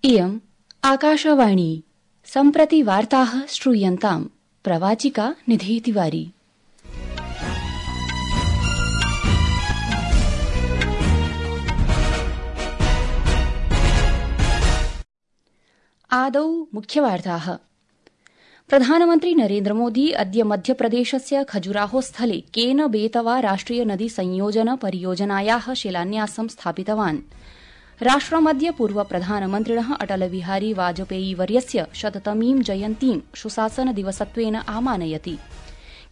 इयम् आकाशवाणी सम्प्रति वार्ताः श्रूयन्ताम् प्रवाचिका निधि तिवारी। आदौ मुख्यवार्ताः। प्रधानमन्त्री नरेन्द्र मोदी अद्य मध्यप्रदेशस्य खजुराहो स्थले केन बेतवा राष्ट्रिय नदी संयोजन परियोजनायाः शिलान्यासं स्थापितवान्। राष्ट्रमद्य पूर्व प्रधानमन्त्रिणः अटल बिहारी वाजपेयी वर्यस्य शततमीं जयन्तीं सुशासन दिवसत्वेन आमानयति।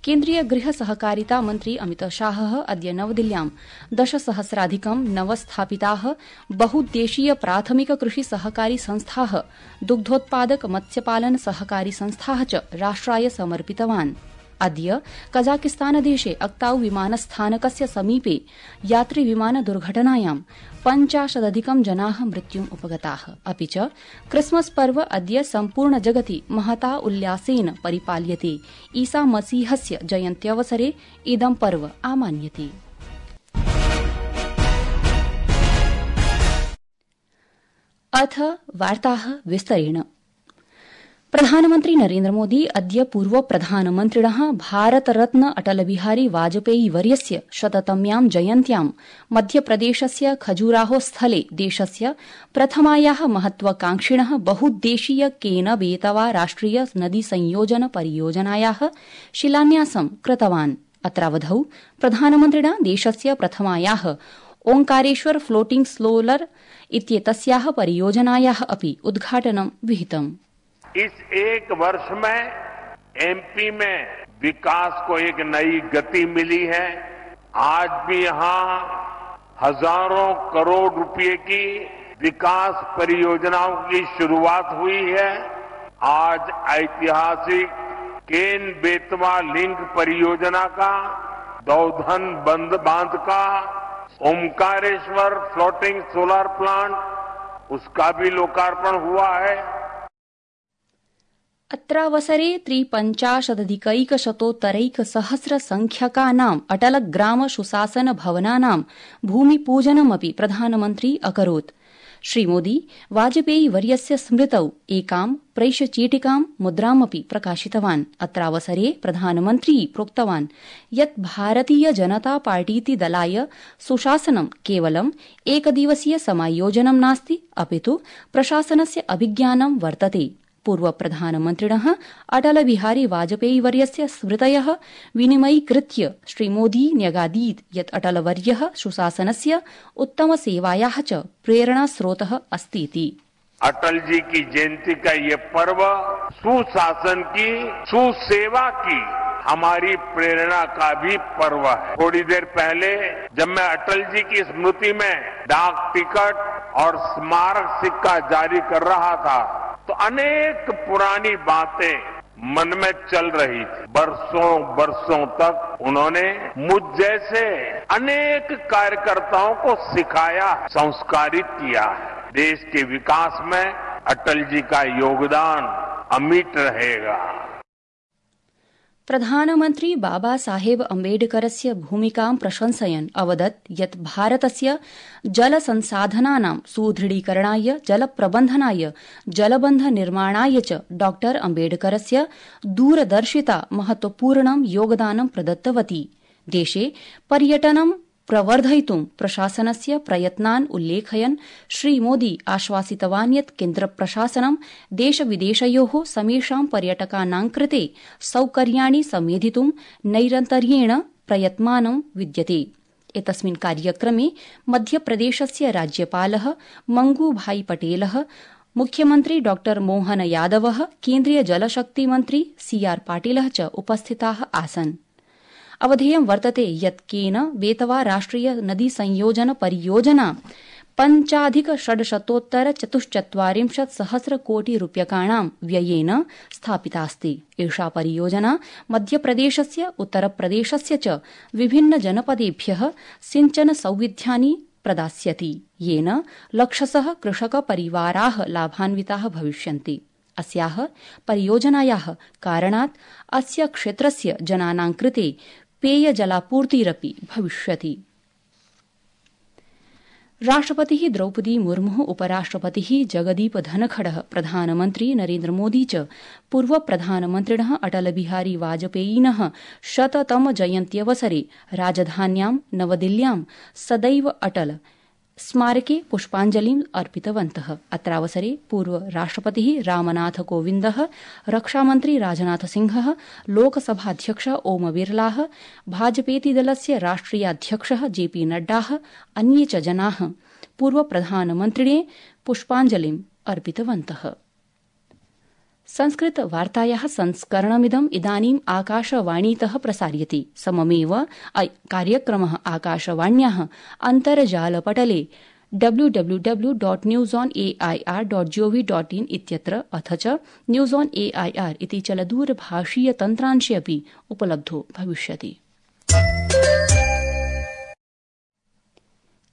केन्द्रीय गृह सहकारिता मन्त्री अमित शाहः अद्य नवदिल्ल्यां 10,000,000 नवस्थापिताः बहुद्देशीय प्राथमिक कृषि सहकारी संस्थाः, दुग्धोत्पादक मत्स्यपालन सहकारी संस्थाः च राष्ट्राय समर्पितवान्। अद्य कजाकिस्तानदेशे अक्ताऊ विमानस्थानकस्य समीपे यात्रिविमान दुर्घटनायां 50,000 जनाः मृत्युम् उपगताः। अपि च क्रिसमस पर्व अद्य सम्पूर्ण जगति महता उल्लासेन परिपाल्यते। ईसा मसीहस्य जयन्त्यवसरे इदं पर्व आमान्यते। अथ वार्ताः विस्तरेण। प्रधानमन्त्री नरेन्द्र मोदी अद्य पूर्व प्रधानमन्त्रिणः भारतरत्न अटल बिहारी वाजपेयी वर्यस्य शततम्यां जयन्त्यां मध्यप्रदेशस्य खजुराहो स्थले देशस्य प्रथमायाः महत्वाकांक्षिणः बहुद्देशीय केन बेतवा राष्ट्रिय नदी संयोजन परियोजनायाः शिलान्यासं कृतवान्। अत्रावधौ प्रधानमन्त्रिणा देशस्य प्रथमायाः ओंकारेश्वर फ्लोटिंग सोलर इत्येतस्याः परियोजनायाः अपि उद्घाटनं विहितम्। इस एक वर्ष में एमपी में विकास को एक नई गति मिली है। आज भी यहां हजारों करोड़ रुपए की विकास परियोजनाओं की शुरुआत हुई है। आज ऐतिहासिक केन बेतवा लिंक परियोजना का, दौधन बांध का, ओंकारेश्वर फ्लोटिंग सोलर प्लांट उसका भी लोकार्पण हुआ है। अत्रावसरे 53,100 संख्यकानाम् अटल ग्राम सुशासन भवनानां भूमिपूजनमपि प्रधानमन्त्री अकरोत्। श्रीमोदी वाजपेयी वर्यस्य स्मृतौ एकां प्रैषचीटिकां मुद्रामपि प्रकाशितवान्। अत्रावसरे प्रधानमन्त्री प्रोक्तवान् यत् भारतीय जनता पार्टीति दलाय सुशासनं केवलम् एकदिवसीय समायोजनं नास्ति, अपितु प्रशासनस्य अभिज्ञानं वर्तते। पूर्व प्रधानमन्त्रिणः अटल बिहारी वाजपेयी वर्यस्य स्मृतयः विनिमयीकृत्य श्रीमोदी न्यगादीत् यत् अटलवर्यः सुशासनस्य उत्तमसेवायाः च प्रेरणास्रोतः अस्तीति। अटल जी की जयंती का ये पर्व सुशासन की, सुसेवा की हमारी प्रेरणा का भी पर्व है। थोड़ी देर पहले जब मैं अटल जी की स्मृति में डाक टिकट और स्मारक सिक्का जारी कर रहा था तो अनेक पुरानी बातें मन में चल रही थी। बरसों तक उन्होंने मुझ जैसे अनेक कार्यकर्ताओं को सिखाया, संस्कारित किया है। देश के विकास में अटल जी का योगदान अमिट रहेगा। प्रधानमन्त्री बाबा साहेब अम्बेडकरस्य भूमिकां प्रशंसयन् अवदत् यत् भारतस्य जलसंसाधनानां सुदृढीकरणाय, जलप्रबन्धनाय, जलबन्ध निर्माणाय च डॉ अम्बेडकरस्य दूरदर्शिता महत्वपूर्णं योगदानं प्रदत्तवती। देशे पर्यटनं प्रवर्धयितुं प्रशासनस्य प्रयत्नान् उल्लेखयन् श्रीमोदी आश्वासितवान् यत् केन्द्रप्रशासनं देशविदेशयोः समेषां पर्यटकानां कृते सौकर्याणि समेधितुं नैरन्तर्येण प्रयत्मानं विद्यते। एतस्मिन् कार्यक्रमे मध्यप्रदेशस्य राज्यपालः मंगूभाई पटेलः, मुख्यमन्त्री डॉ मोहन यादवः, केन्द्रीय जलशक्ति मन्त्री CR पाटिलः च उपस्थिताः आसन्। अवधेयं वर्तते यत् केन बेतवा राष्ट्रिय नदी संयोजन परियोजना 5,644 कोटि रूप्यकाणां व्ययेन स्थापितास्ति। एषा परियोजना मध्यप्रदेशस्य, उत्तरप्रदेशस्य च विभिन्न जनपदेभ्यः सिंचन सौविध्यानि प्रदास्यति, येन लक्षशः कृषकपरिवाराः लाभान्विताः भविष्यन्ति। अस्याः परियोजनायाः कारणात् अस्य क्षेत्रस्य जनानां कृते पेयजलापूर्तिरपि भविष्यति। राष्ट्रपतिः द्रौपदी मुर्मुः उपराष्ट्रपतिः जगदीप धनखडः प्रधानमन्त्री नरेन्द्र मोदी च पूर्व प्रधानमन्त्रिणः अटल बिहारी वाजपेयिनः 100तम जयन्त्यवसरे राजधान्यां नवदिल्ल्यां सदैव अटल स्मारके पुष्पाञ्जलिम् अर्पितवन्तः। अत्रावसरे पूर्व राष्ट्रपतिः रामनाथ कोविन्दः, रक्षामन्त्री राजनाथ सिंहः, लोकसभाध्यक्षः ओम बिरलाः, भाजपेति दलस्य राष्ट्रियाध्यक्षः जेपी नड्डाः, अन्ये च जनाः पूर्व प्रधानमन्त्रिणे पुष्पाञ्जलिम् अर्पितवन्तः। संस्कृत वार्तायाः संस्करणमिदम् इदानीम् आकाशवाणीतः प्रसार्यते। सममेव कार्यक्रमः आकाशवाण्याः अन्तर्जालपटले www.newsonair.gov.in इत्यत्र अथ च न्यूज ऑन एआईआर इति चलदूरभाषीय तन्त्रांशे अपि उपलब्धो भविष्यति।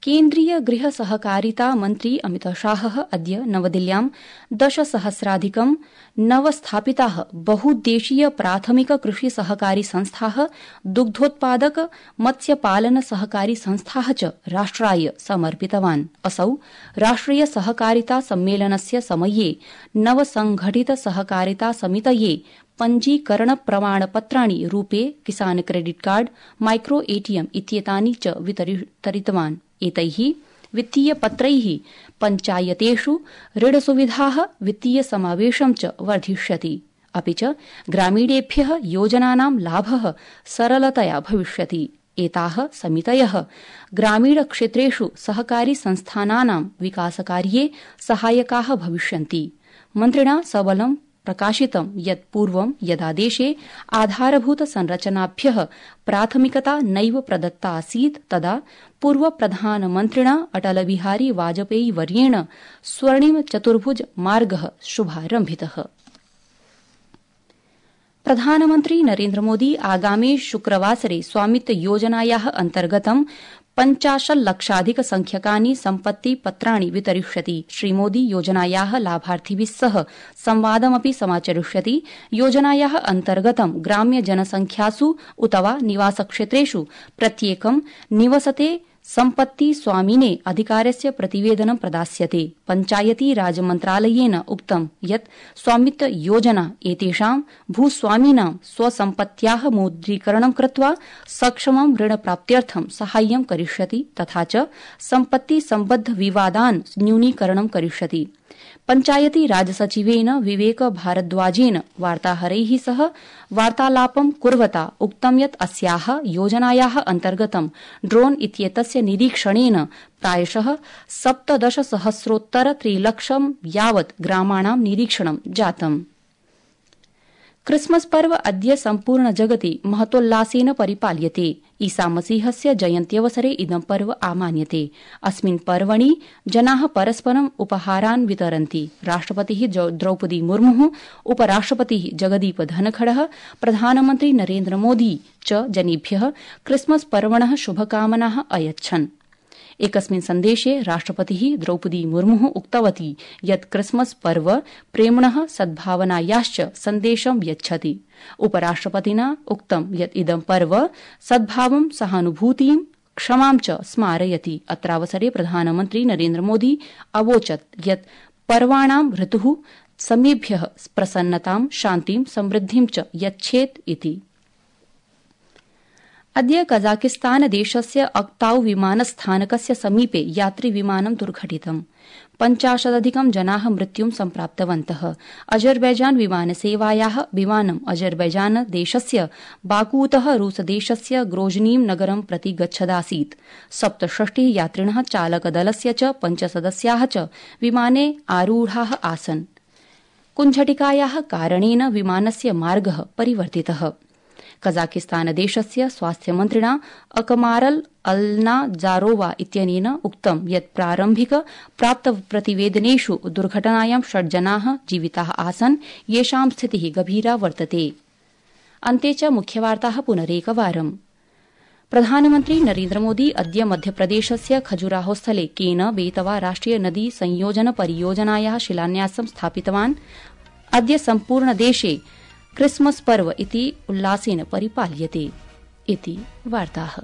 केन्द्रीय गृह सहकारिता मन्त्री अमित शाहः अद्य नवदिल्ल्यां 10,000,000 नवस्थापिताः बहुद्देशीय प्राथमिक कृषि सहकारी संस्थाः, दुग्धोत्पादक मत्स्यपालन सहकारी संस्थाः च राष्ट्राय समर्पितवान्। असौ राष्ट्रिय सहकारिता सम्मेलनस्य समये नवसंघटित सहकारिता समितये पञ्जीकरण प्रमाणपत्राणि रूपे किसान क्रेडिट कार्ड, माइक्रो एटीएम इत्येतानि च वितरितवान्। एतैः वित्तीयपत्रैः पञ्चायतेषु ऋणसुविधाः, वित्तीय समावेशं च वर्धिष्यति। अपि च ग्रामीणेभ्यः योजनानां लाभः सरलतया भविष्यति। एताः समितयः ग्रामीणक्षेत्रेषु सहकारी संस्थानानां विकासकार्ये सहायकाः भविष्यन्ति। मन्त्रिणा सबलं प्रकाशितं यत् पूर्वं यदा देशे आधारभूत संरचनाभ्यः प्राथमिकता नैव प्रदत्ता आसीत् तदा पूर्व प्रधानमन्त्रिणा अटल बिहारी वाजपेयी वर्येण स्वर्णिम चतुर्भुज मार्गः शुभारम्भितः। प्रधानमन्त्री नरेन्द्र मोदी आगामे शुक्रवासरे स्वामित्व योजनायाः अन्तर्गतं 50,00,000 संख्यकानि सम्पत्ति पत्राणि वितरिष्यति। श्रीमोदी योजनायाः लाभार्थिभिः सह संवादमपि समाचरिष्यति। योजनायाः अन्तर्गतं ग्राम्य जनसंख्यासु उत वा निवासक्षेत्रेषु प्रत्येकं निवसते सम्पत्ति स्वामिने अधिकारस्य प्रतिवेदनं प्रदास्यते। पञ्चायती राज मन्त्रालयेन उक्तं यत् स्वामित्व योजना एतेषां भूस्वामिनां स्वसम्पत्त्याः मुद्रीकरणं कृत्वा सक्षमं ऋणप्राप्त्यर्थं साहाय्यं करिष्यति तथा च सम्पत्ति सम्बद्ध विवादान् न्यूनीकरणं करिष्यति। पञ्चायती राज सचिवेन विवेक भारद्वाजेन वार्ताहरैः सह वार्तालापं कुर्वता उक्तं यत् अस्याः योजनायाः अन्तर्गतं ड्रोन इत्येतस्य निरीक्षणेन प्रायशः 17,000,000 यावत् ग्रामाणां निरीक्षणं जातम्। क्रिसमस पर्व अद्य सम्पूर्ण जगति महतोल्लासेन परिपाल्यते। ईसा मसीहस्य जयन्त्यवसरे इदं पर्व आमान्यते। अस्मिन् पर्वणि जनाः परस्परम् उपहारान् वितरन्ति। राष्ट्रपतिः द्रौपदी मुर्मुः, उपराष्ट्रपतिः जगदीप धनखडः, प्रधानमन्त्री नरेन्द्र मोदी च जनेभ्यः क्रिसमस पर्वणः शुभकामनाः अयच्छन्। एकस्मिन् सन्देशे राष्ट्रपतिः द्रौपदी मुर्मुः उक्तवती यत् क्रिसमस पर्व प्रेम्णः सद्भावनायाश्च सन्देशं यच्छति। उपराष्ट्रपतिना उक्तं यत् इदं पर्व सद्भावं, सहानुभूतिं, क्षमां च स्मारयति। अत्रावसरे प्रधानमन्त्री नरेन्द्र मोदी अवोचत् यत् पर्वाणां ऋतुः समेभ्यः प्रसन्नतां, शान्तिं, समृद्धिं च यच्छेत् इति। अद्य कजाकिस्तान देशस्य अक्ताउ विमानस्थानकस्य समीपे यात्रिविमानं दुर्घटितम्। 50,000 जनाः मृत्युं सम्प्राप्तवन्तः। अजरबैजान विमानसेवायाः विमानम् अजरबैजान देशस्य बाकूतः रूसदेशस्य ग्रोजनीं नगरं प्रति गच्छदासीत्। 67 यात्रिणः, चालकदलस्य च 5 सदस्याः च विमाने आरूढाः आसन्। कुञ्झटिकायाः कारणेन विमानस्य मार्गः परिवर्तितः। कजाकिस्तान देशस्य स्वास्थ्यमन्त्रिणा अकमारल अल्नाजारोवा इत्यनेन उक्तं यत् प्रारम्भिक प्राप्त प्रतिवेदनेषु दुर्घटनायां 6 जनाः जीविताः आसन्, येषां स्थितिः गभीरा वर्तते। अन्ते च मुख्यवार्ताः पुनरेकवारम्। प्रधानमन्त्री नरेन्द्र मोदी अद्य मध्यप्रदेशस्य खजुराहोस्थले केन बेतवा राष्ट्रिय नदी संयोजन परियोजनायाः शिलान्यासं स्थापितवान्। अद्य सम्पूर्ण देशे क्रिसमस पर्व इति उल्लासेन परिपाल्यते इति वार्ताः।